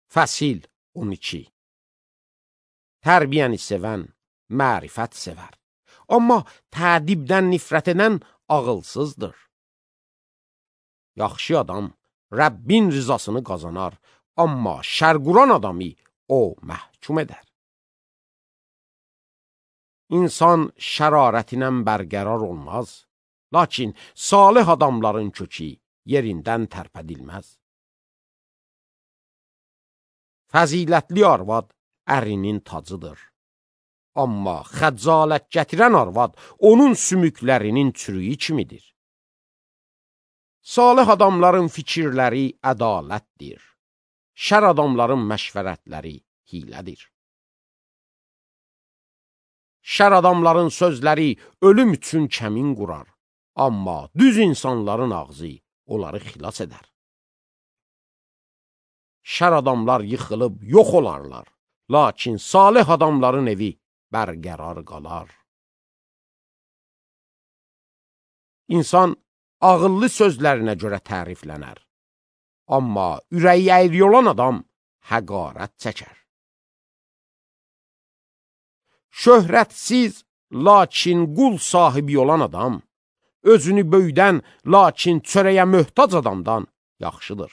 Fəsil 12. Tərbiyəni sevən mərifət sevər. Amma tədibdən nifrət edən ağılsızdır. Yaxşı adam Rəbbin rızasını qazanar, amma şərquran adamı o məhkum edər. İnsan şərarətinə bərqərar olmaz, lakin salih adamların kökü yerindən tərpədilməz. Fəzilətli arvad ərinin tacıdır. Amma xəcalət gətirən arvad onun sümüklərinin çürüyü kimidir. Salih adamların fikirləri ədalətdir. Şər adamların məşvərətləri hilədir. Şər adamların sözləri ölüm üçün kəmin qurar. Amma düz insanların ağzı onları xilas edər. Şər adamlar yıxılıb yox olarlar, lakin salih adamların evi bərqərar qalar. İnsan ağıllı sözlərinə görə təriflənər, amma ürəyi əyri olan adam həqarət çəkər. Şöhrətsiz, lakin qul sahibi olan adam, özünü böyüdən, lakin çörəyə möhtac adamdan yaxşıdır.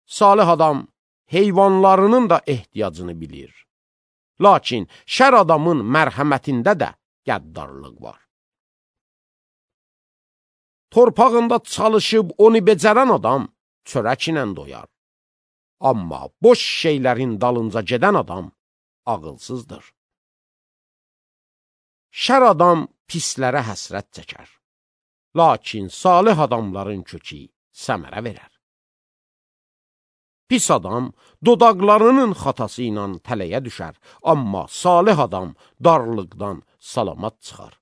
Salih adam heyvanlarının da ehtiyacını bilir. Lakin şər adamın mərhəmətində də qəddarlıq var. Torpağında çalışıb onu becərən adam çörək ilə doyar. Amma boş şeylərin dalınca gedən adam ağılsızdır. Şər adam pislərə həsrət çəkər. Lakin salih adamların kökü səmərə verər. Pis adam dodaqlarının xatası ilə tələyə düşər, amma salih adam darlıqdan salamat çıxar.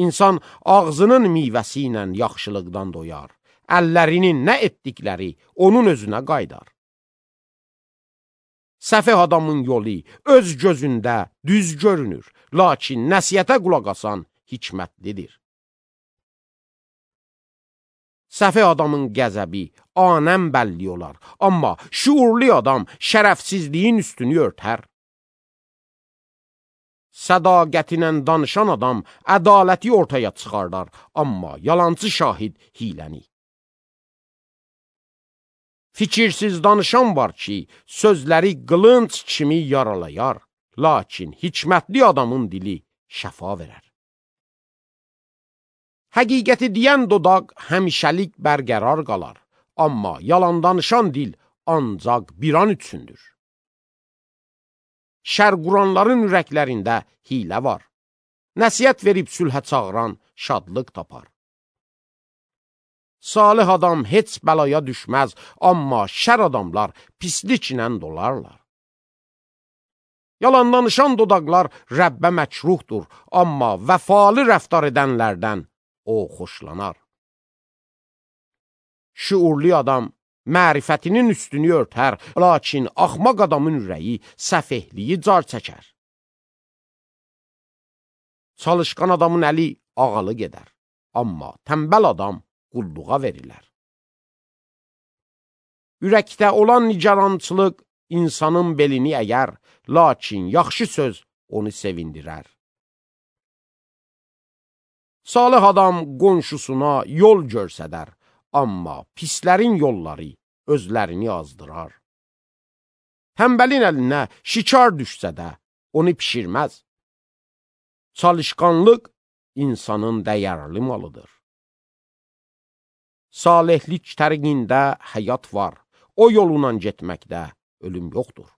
İnsan ağzının meyvəsi ilə yaxşılıqdan doyar, əllərinin nə etdikləri onun özünə qaydar. Səfeh adamın yolu öz gözündə düz görünür, lakin nəsihətə qulaq asan hikmətlidir. Səfeh adamın qəzəbi anəm bəlli olar, amma şuurlu adam şərəfsizliyin üstünü örtər. Sədaqətinlə danışan adam ədaləti ortaya çıxardar, amma yalancı şahid hiləni. Fikirsiz danışan var ki, sözləri qılınc kimi yaralayar, lakin hikmətli adamın dili şəfa verər. Həqiqəti deyən dodaq həmişəlik bərqərar qalar, amma yalan danışan dil ancaq bir an üçündür. Şər quranların ürəklərində hilə var. Nəsihət verib sülhə çağıran şadlıq tapar. Salih adam heç bəlaya düşməz, amma şər adamlar pisliklə dolarlar. Yalan danışan dodaqlar Rəbbə məkruhdur, amma vəfalı rəftar edənlərdən o xoşlanar. Şuurlu adam mərifətinin üstünü örtər, lakin axmaq adamın ürəyi səfehliyi car çəkər. Çalışqan adamın əli ağalı gedər, amma tənbəl adam qulluğa verilər. Ürəkdə olan nigarançılıq insanın belini əyər, lakin yaxşı söz onu sevindirər. Salih adam qonşusuna yol görsədər, amma pislərin yolları özlərini azdırar. Tənbəlin əlinə şikar düşsə də onu pişirməz. Çalışqanlıq insanın dəyərli malıdır. Salihlik təriqində həyat var, o yolundan getməkdə ölüm yoxdur.